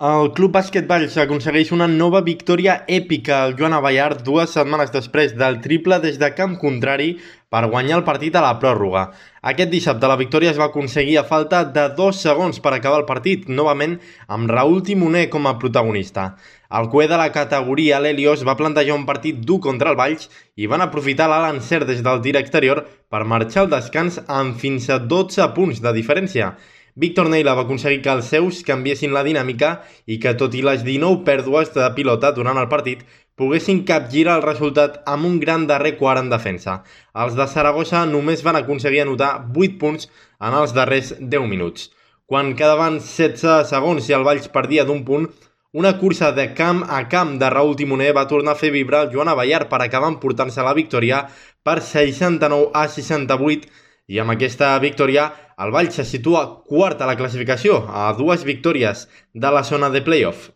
El Club Bàsquet Valls aconsegueix una nova victòria èpica al Joan Abellar 2 setmanes després del triple des de camp contrari per guanyar el partit a la pròrroga. Aquest dissabte la victòria es va aconseguir a falta de 2 segons per acabar el partit, novament amb Raúl Timoner com a protagonista. El cué de la categoria, l'Helios, va plantejar un partit dur contra el Valls i van aprofitar l'alt encert des del tir exterior per marxar al descans amb fins a 12 punts de diferència. Víctor Neila va aconseguir que els seus canviessin la dinàmica i que, tot i les 19 pèrdues de pilota durant el partit, poguessin capgirar el resultat amb un gran darrer quart en defensa. Els de Saragossa només van aconseguir anotar 8 punts en els darrers 10 minuts. Quan quedaven 16 segons i el Valls perdia d'un punt, una cursa de camp a camp de Raúl Timoner va tornar a fer vibrar el Joan Abellar per acabar emportant-se la victòria per 69-68, i amb aquesta victòria el Valls se situa quart a la classificació, a 2 victòries de la zona de playoff.